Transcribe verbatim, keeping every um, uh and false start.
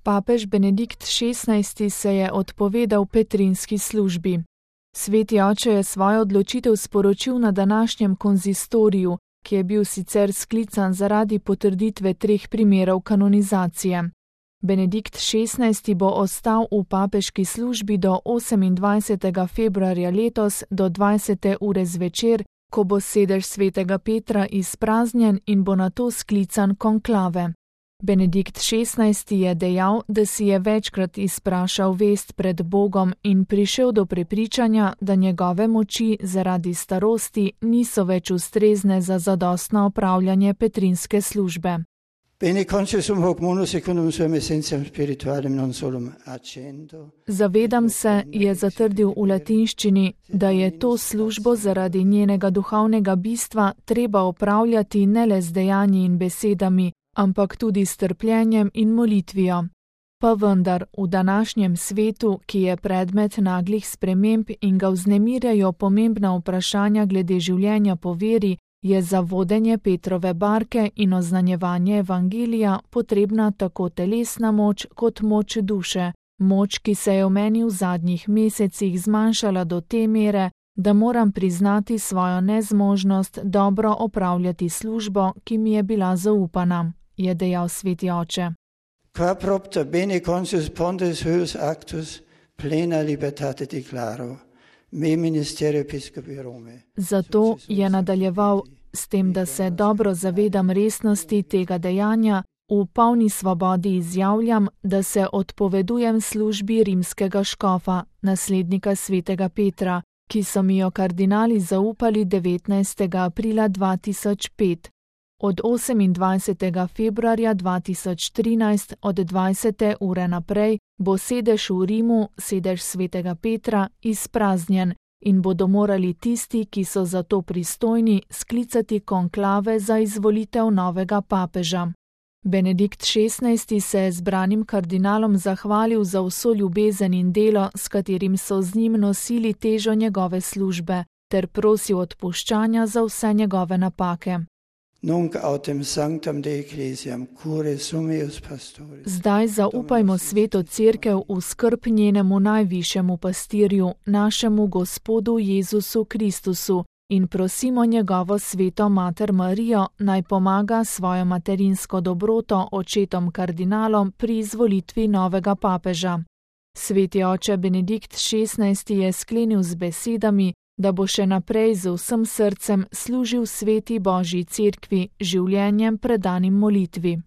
Papež Benedikt šestnajsti se je odpovedal petrinski službi. Sveti oče je svojo odločitev sporočil na današnjem konzistoriju, ki je bil sicer sklican zaradi potrditve treh primerov kanonizacije. Benedikt šestnajsti bo ostal v papeški službi do osemindvajsetega februarja letos do dvajsete ure zvečer, ko bo sedež svetega Petra izpraznjen in bo nato sklican konklave. Benedikt šestnajsti je dejal, da si je večkrat izprašal vest pred Bogom in prišel do prepričanja, da njegove moči zaradi starosti niso več ustrezne za zadostno opravljanje petrinske službe. Zavedam se, je zatrdil v latinščini, da je to službo zaradi njenega duhovnega bistva treba opravljati ne le z dejanji in besedami, ampak tudi s trpljenjem in molitvijo. Pa vendar, v današnjem svetu, ki je predmet naglih sprememb in ga vznemirjajo pomembna vprašanja glede življenja po veri, je za vodenje Petrove barke in oznanjevanje evangelija potrebna tako telesna moč kot moč duše, moč, ki se je v meni v zadnjih mesecih zmanjšala do te mere, da moram priznati svojo nezmožnost dobro opravljati službo, ki mi je bila zaupana, je dejal sveti oče. Qua propter bene consus pontes huius actus plena libertate declaro. Zato je nadaljeval s tem, da se dobro zavedam resnosti tega dejanja, v polni svobodi izjavljam, da se odpovedujem službi rimskega škofa, naslednika svetega Petra, ki so mi jo kardinali zaupali devetnajstega aprila dva tisoč pet. Od osemindvajsetega februarja dva tisoč trinajst od dvajsete ure naprej bo sedež v Rimu, sedež svetega Petra, izpraznjen in bodo morali tisti, ki so za to pristojni, sklicati konklave za izvolitev novega papeža. Benedikt šestnajsti se je zbranim kardinalom zahvalil za vso ljubezen in delo, s katerim so z njim nosili težo njegove službe, ter prosil odpuščanja za vse njegove napake. Zdaj zaupajmo sveto cerkev v skrb njenemu najvišjemu pastirju, našemu Gospodu Jezusu Kristusu, in prosimo njegovo sveto mater Marijo, naj pomaga svojo materinsko dobroto očetom kardinalom pri izvolitvi novega papeža. Sveti oče Benedikt šestnajsti je sklenil z besedami, da bo še naprej z vsem srcem služil sveti Božji cerkvi, življenjem predanim molitvi.